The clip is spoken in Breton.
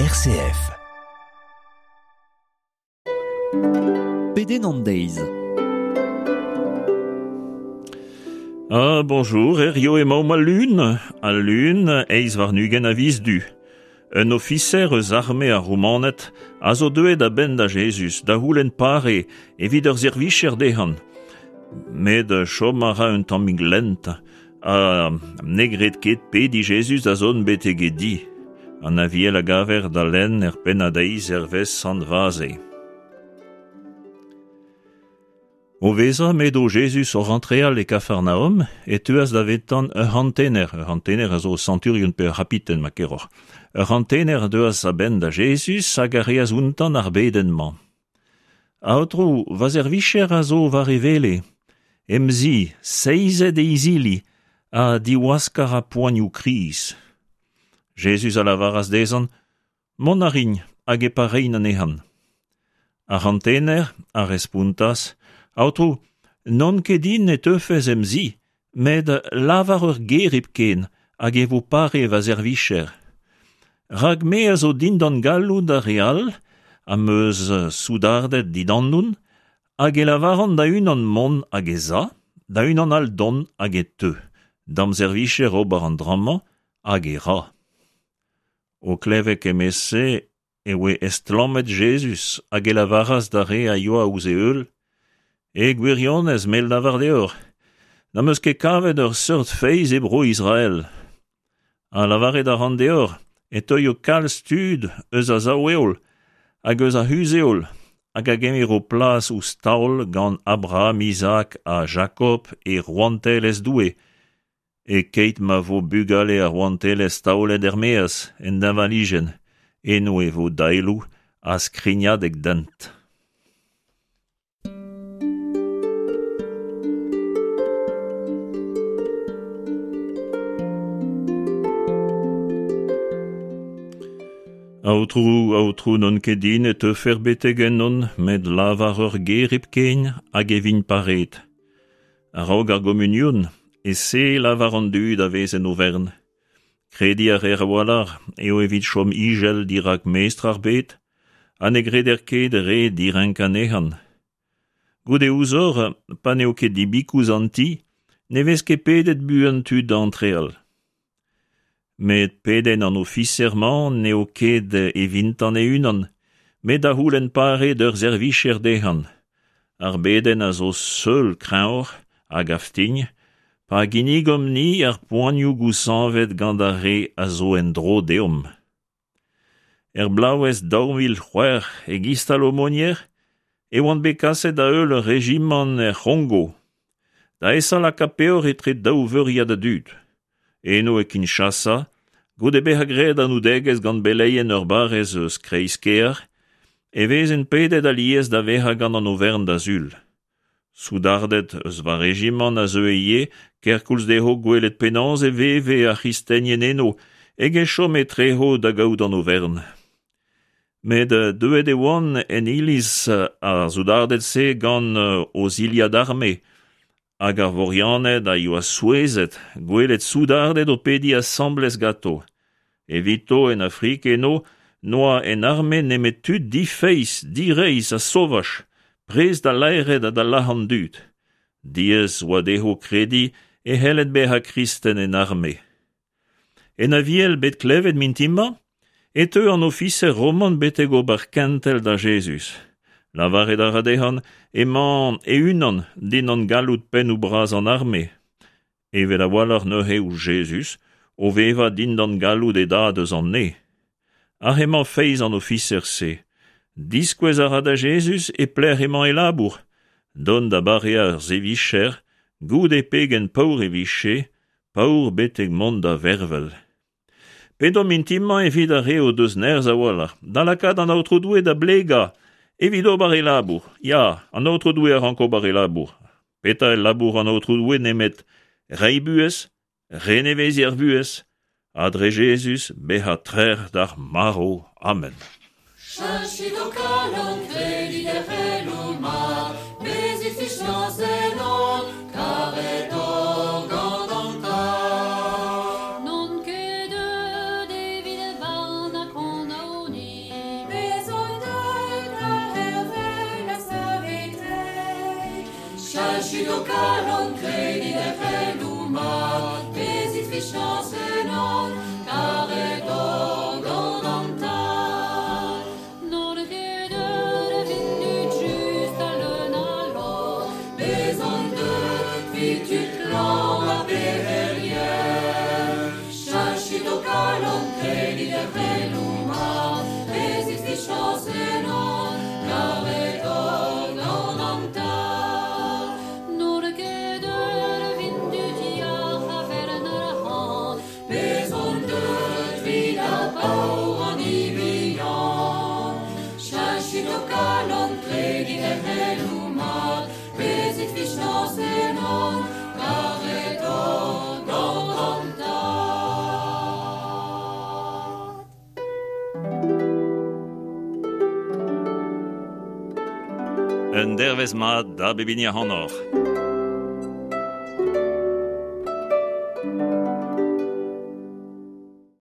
RCF. Pedenn an deiz. Ah, bonjour, herrio emaomp al lun, al lun 28 a viz du. Un ofiser eus arme ar Roumaned a zo deuet a-benn da Jezuz da c'houlenn pare evit ur servicher dezhan. Met chom a ra un tammig lent ha ne gred ket pediñ Jezuz da zont betek e di. An Aviel a gaver da lenn er pennad-deiz hervez Sant Vaze. O vezañ m'edo Jezuz oc'h antreal e Kafarnaom, e teuas davetan ur c'hantener, ur c'hantener a zo santurion pe ur c'hapiten ma keroc'h. Ur c'hantener a deuas a-benn da Jezuz hag a reas ountan ar bedenn-mañ. Aotrou, va servicher a zo war e wele, em zi, seizet e izili, ha diwaskañ a ra poanioù kriz. Jezuz a lavaras dezhan, Mont a rin hag e parein anezhan. Ar c'hantener a respontas, Aotrou, n'on ket din e teufes em zi, met lavar ur ger hepken hag e vo pare va servicher. Rak me a zo dindan galloud ar re all, am eus soudarded dindannon, hag e lavaran da unan mont hag ez a, da unan all dont hag e teu, d'am servicher ober an dra-mañ hag e ra. O klevet kement-se e oe estlammet Jezuz hag e lavaras d'ar re a yoa ouzh e heul: E gwirionez, me lavar deoc'h, n'am eus ket kavet ur seurt feiz e bro Israel. Ha lavaret a ran deoc'h e teuio kalz tud eus a sav-heol hag eus ar c'huzh-heol hag a gemero plas ouzh taol gant Abraham, Izaak ha Jakob e rouantelezh Doue, E-keit ma vo bugale ar rouantelezh taolet er-maez en deñvalijenn, eno e vo daeloù ha skrignadeg dent. Aotrou, aotrou, n'on ket din e teufer betek ennon, met lavar ur ger hepken hag e vin pareet. A-raok ar gomunion e-se lavar an dud a vez en overn. Krediñ a reer a-walc'h eo evit chom ijel dirak mestr ar bed ha ne greder ket re direnk anezhan. Goude ouzhoc'h, pa n'eo ket dibikouz an ti, ne vez ket pedet buan tud da antreal. Met pedenn an ofiser-mañ n'eo ket evintan e-unan, met da c'houlenn pare d'ur servijer dezhañ. Ar bedenn a zo seul kreñvoc'h, a gav din, pa ginnigomp-ni ar poanioù gouzañvet gant ar re a zo en-dro deomp. Er bloavezh 2006 e Gistal-Aumônier e oan bet kaset da heul ur rejimant er C'hongo, da esa lakaat peoc'h etre daou veuriad a dud. Eno e Kinshasa, goude bezañ graet anoudegezh gant beleien ur barrez eus kreiz-kêr, e vezen pedet alies da vezañ gant an overn da sul. Soudarded eus va rejimant a zeue ivez kerkoulz dezho gwelet penaos e veve ar c'hristenien eno eget chom etrezo da gaout an overn. Met deuet e oant en iliz ar soudarded-se gant o zilhad arme hag ar vorianed a yoa souezhet gwelet soudarded o pediñ asambles ganto. Evito en Afrik eno n'oa en arme nemet tud difeiz, direizh ha sovaj, prest da laeret ha da lazhañ an dud. Diaes oa dezho krediñ e c'helled bezañ kristen en arme. En Aviel bet klevet mintin-mañ e teu an ofiser roman betek ober kentel da Jezuz. Lavaret a ra dezhañ emañ e-unan dindan galloud pennoù bras an arme. Evel a-walc'h neuze ouzh Jezuz, o vevañ dindan galloud e dad eus an neñv. Aze emañ feiz an ofiser-se. Diskouez a ra da Jezuz e pelec'h emañ e labour, dont da bareañ ur servijer, goude pegen paour e vije, paour betek mont da vervel. Pedomp mintin-mañ evit ar re o deus nerzh a-walc'h da lakaat an Aotrou Doue da blegañ evit ober e labour. Ya, an Aotrou Doue a rank ober e labour. Petra eo labour an Aotrou Doue nemet reiñ buhez, reneveziñ ar vuhez, ha dre Jezuz bezañ trec'h d'ar marv. Amen. Cheñchit ho kalon, kredit er c'heloù mat, bezit fiziañs ennon, karet oc'h gant an Tad. N'on ket deuet evit barn ha kondaoniñ. Cheñchit ho kalon, kredit er c'heloù mat, bezit fichañs ennon, karet oc'h gant an Tad. N'on ket deuet evit tud just ha leun a lorc'h, bez on deuet 'vit tud klañv ha pec'herien. Cheñchit ho kalon, kredit er c'heloù mat, bezit fichañs ennon, karet oc'h gant an Tad. N'on ket deuet evit tud yac'h a vern arc'hant, bez on deuet 'vit ar paour an hini bihan. Cheñchit ho kalon, kredit er c'heloù mat, bezit fichañs ennon, karet oc'h gant an Tad. Un dervezh mat da bep hini ac'hanoc'h.